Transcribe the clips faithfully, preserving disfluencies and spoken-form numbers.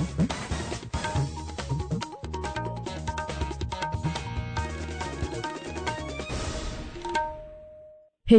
Hei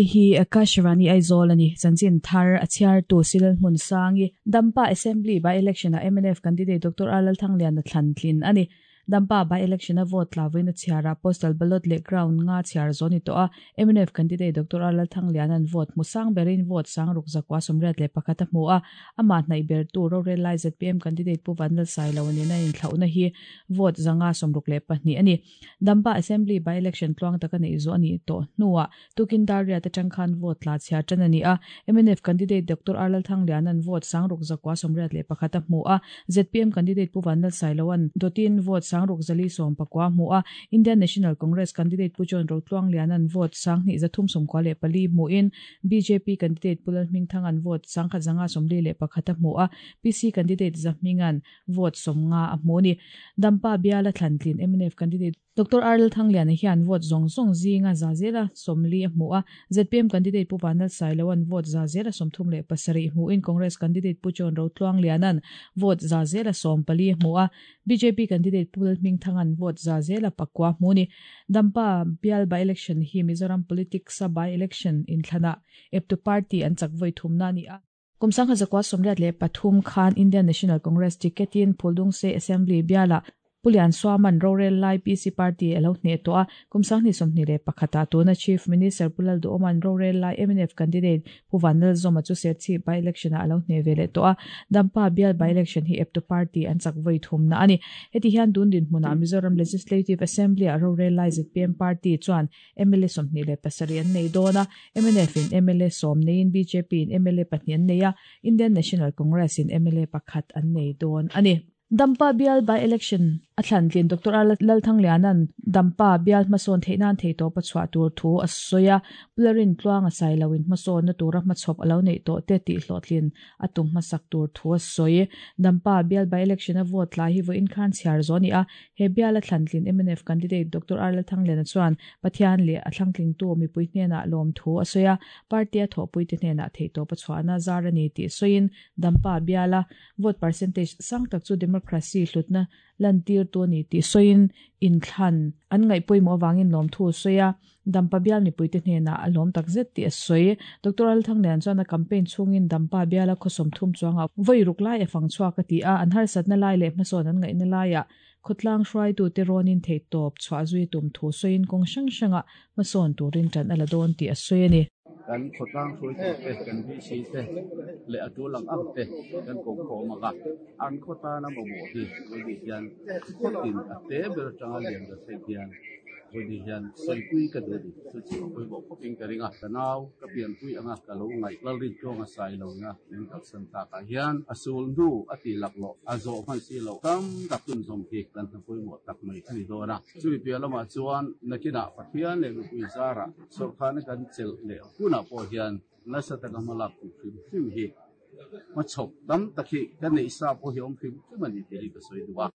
hi Akashvani Aizawl ani chanchin thar a chhiar tu Silal hmun sangi Dampa Assembly by election a M N F candidate Doctor R Lalthangliana thlantlin ani Dampa by election a vote lawin a chhiara postal ballot le ground nga chhiar zoni to a M N F candidate Doctor R Lalthangliana an vote musang berin vote sang ruk zakwa somriat le pakhata mu a ama hnai ber tu ro relai Z P M candidate Pu Vanlal Sailo ni na in thlauna hi vote zanga somruk le pahnih ani Dampa Assembly by election tluang taka nei zo ani to nuwa tukin daria te tangkhan vote la chhiar tan ani a M N F candidate Doctor R Lalthangliana an vote sang ruk zakwa somriat le pakhata mu a Z P M candidate Pu Vanlal Sailo an dotin vote sang ruk zali som pakwa mu a Indian National Congress candidate Pu John Rotluang Lianan vote sang ni zathum som kwa le pali mu in B J P candidate Pulal Hmingthang an vote sang kha zanga somli le pakhata mu a P C candidate Zahmingan vote som nga a mu ni Dampa biala thlantlin M N F candidate Doctor R Lalthangliana hian vote zong zong zinga zazela somli mu a Z P M candidate Pu Vanlal Sailo an vote zazela somthum le pasari mu in Congress candidate Pu John Rotluang Lianan vote zazela som pali mu a B J P candidate Pulal Hmingthang an vote zazela pakwa mu ni Dampa bial by election hi Mizoram politics a by election in thlana eptu party an chakvoi thumna ni a Kumsang hazakwa somriat le pathum khan Indian National Congress ticketin Phuldung se Assembly biala Pulian Swaman Rorel Lai P C Party alo hne to a kumsang ni somni le pakhata to na Chief Minister Pulal Du Oman Rorel Lai M N F candidate Pu Vanlal Zoma chu ser chi by election a alo hne vele to a Dampa bial by election hi eptu party an chakvoi thumna ani heti hian dun din hmuna Mizoram Legislative Assembly a Rorel Lai Z P M party chuan M L A somni le pasari an nei dona M N F in M L A som nein B J P in M L A pahnih an nei a Indian National Congress in M L A pakhat an nei don ani Dampa bial by election a thlantlin Doctor R Lalthangliana'n Dampa bial hmasawn theihnan thei to pachhuah tur thu a sawi a Pularin tluang a sailo in hmasawn na tura hmachhawp alo nei tawh te tih hlawhtlin a tum hmasak tur thu a sawi Dampa bial by election a vote lai hi vawiin khan chhiar zo ni a he bial a thlantlin M N F candidate Doctor R Lalthangliana chuan Pathian leh a thlangtling tu mipui hnenah lawm thu a sawi a party a thawhpui te hnenah thei to pachhuahna zar ani tih sawiin Dampa bial a vote percentage sang tak chu democracy hlutna lantir tu ni ti soin in thlan an ngai poimo wangin lom thu soya Dampa bial ni puite hnena alom takzet ti soi Doctor Lalthangliana chuan a campaign chungin Dampa biala khosom thum chuanga voi ruk lai afang chua ka ti a an har satna lai le hmasawn an ngai na laia khotlang hruai tu te ronin thei top chwa zui tum thu soin kong sang sanga hmasawn turin tan ala don ti a soi ani kan khotlang hruai tu te kan B C te le atu lang ang te kan ko kho maga an khota na mo mo hi oi hian khotin ate ber tanga lian da thei hian oi hian soipui ka do di chu chi koi bo khoping ka ringa tanaw ka pian pui anga ka lo ngai lal rin chonga sai lo na ning kal san ta ka hian asul nu ati lak lo azo man si lo tam tak tun zom hi kan ta pui mo tak mai ani do na chu pi lama chuan nakina Pathian le pui zara sorkhan kan chel le kuna po hian na sa ta malak ku phim phim hi ma chok tam takhi kan nei sa po hi om phim mani te ka soi duwa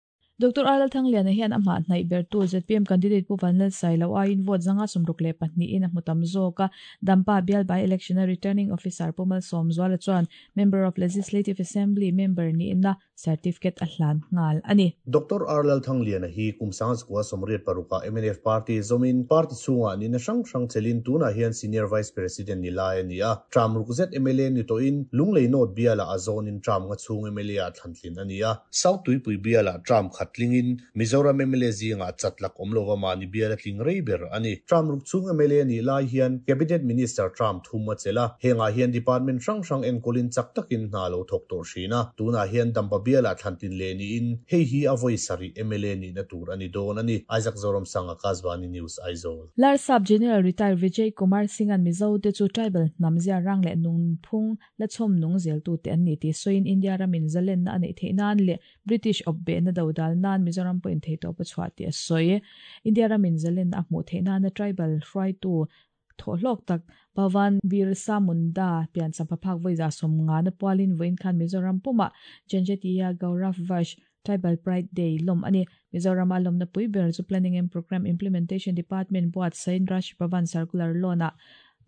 Doctor R Lalthangliana hian ama hnai ber tu Z P M candidate Pu Vanlal Sailo a in vote zanga somruk le pahnih in a hmutam zawk a Dampa bial by election a returning officer Pu Malsawmzuala chuan member of Legislative Assembly member ni inna certificate a hlan ngal ani Doctor R Lalthangliana hi kumsang zakwa somriat paruka M N F party zomin party chunga ni na sang sang chelin tuna hian senior vice president ni lai ani a tramruk Z M L A ni to in lunglei note biala a zone in tram nga chung M L A a thlantlin ani a South Tuipui biala tram khat tlingin Mizoram M L A zinga chatlak omlova mani biala tling reiber ani tramruk chung M L A ni lai hian cabinet minister tram thuma chela henga hian department rang rang en kolin chak takin hna lo thok tor thina tuna hian Dampa biala thlantin le ni in hei hi avoi sari M L A ni na tur ani don ani Isaac Zoram sanga Kazwani News Aizawl Larsap General retired Vijay Kumar Singh an Mizo te chu tribal namzia rang le nung phung la chom nung zel tu te an ni ti soin India ramin zalen na anei theinan le British obbe na dodal nan Mizoram po in thei to pachwa ti a soi India ramin zalen a hmu theina na tribal hruai tu tholok tak Pawan Birsa Munda pian sampaphak voiza som nga na pualin voin khan Mizoram puma Janjatiya Gaurav Varsh Tribal Pride Day lom ani Mizoram alom na pui ber chu Planning and Program Implementation Department buat sain Raj Bhavan Circular lona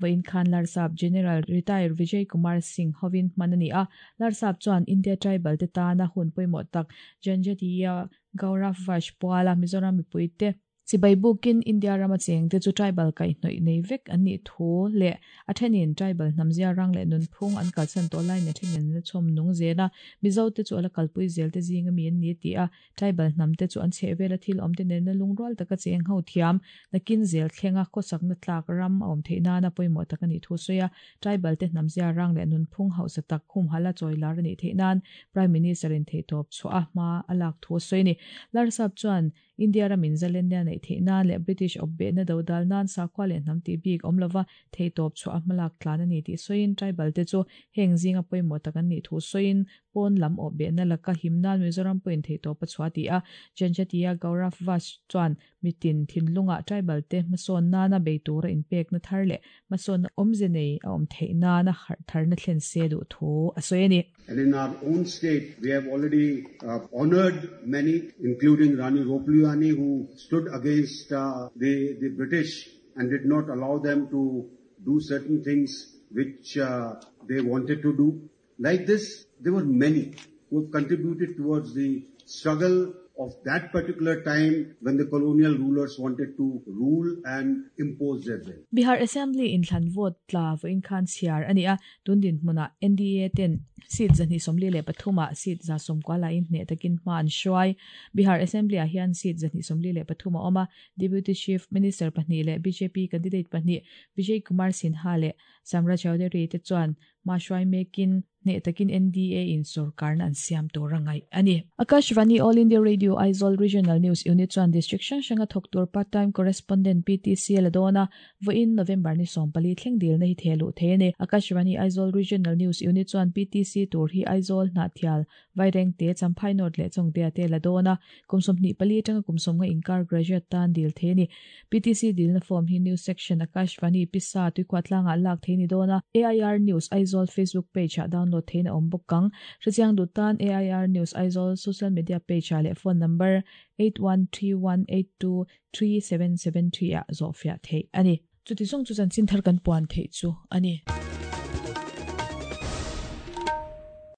Vain Khan Larsap General Retired Vijay Kumar Singh hovin manani a Larsap chuan India Tribal te tana hun poimo tak Janjatiya Gaurav Vash Puala Mizoram mipuite Sibai bukin India rama cheng te chu tribal kai hnoi nei vek ani thu le athenin tribal namzia rang le nun phung an kalsan to lai na thenin na chom nung zela Mizo te chu ala kalpui zel te zinga mi an ni ti a tribal nam te chu an chhevela thil om te nen na lungrual taka cheng ho thiam nakin zel thlenga khosak na tlak ram om theina na poimo tak ani thu soya tribal te namzia rang le nun phung hausa tak khum hala choilar ani theinan Prime Minister in theitop chu a ma alak thu soini Larsap chuan India ramin zalenia nei theina le British obbe na dodal nan sakwa le nam ti bik omlova theitop chu amalak tlan ani ti soin tribal te chu heng zinga poimo takan ni thu soin pon lam obbe na laka himnan Mizoram point theitop chua ti a Janjatiya Gaurav Vash chuan mitin thinlunga tribal te mason na na beitura in pek na thar le mason omze nei a om theina na har thar na thlen se du thu asoeni. And in our own state, we have already uh, honored many, including Rani Ropliani, who stood against uh, the, the British and did not allow them to do certain things which uh, they wanted to do. Like this, there were many who have contributed towards the struggle of that particular time when the colonial rulers wanted to rule and impose their will. Bihar Assembly in thlan vote tla voin khan chiar ani a tundin hmuna N D A ten seat zani somli le pathuma seat za somkwala in hne takin man shwai Bihar Assembly a hian seat zani somli le pathuma oma Deputy Chief Minister pahni le B J P candidate pahni Vijay Kumar Sinha le Samra Chaudhary te chuan ma shwai mekin ne takin N D A in sarkar na an siam to rangai ani. Akashvani All India Radio Aizawl Regional News Unit chuan district hrang hranga thawk tur part time correspondent P T C ladona voin November ni sawmpali thleng dil na hi thelu thene. Akashvani Aizawl Regional News Unit chuan P T C tur hi Aizawl hna thial vaireng te champhai north le chongte te ladona kumsom ni pali tanga kumsom nga inkar graduate tan dil theni. P T C dil na form hi news section Akashvani pisa tuikwatlanga lak theni dona A I R News Aizawl Facebook page a download thein om bokang hrichiang dutan A I R News Aizawl social media page le phone number eight one three one eight two three seven seven three a zofia thei ani. Chuti song chu chan chin thar kan puan thei chu ani.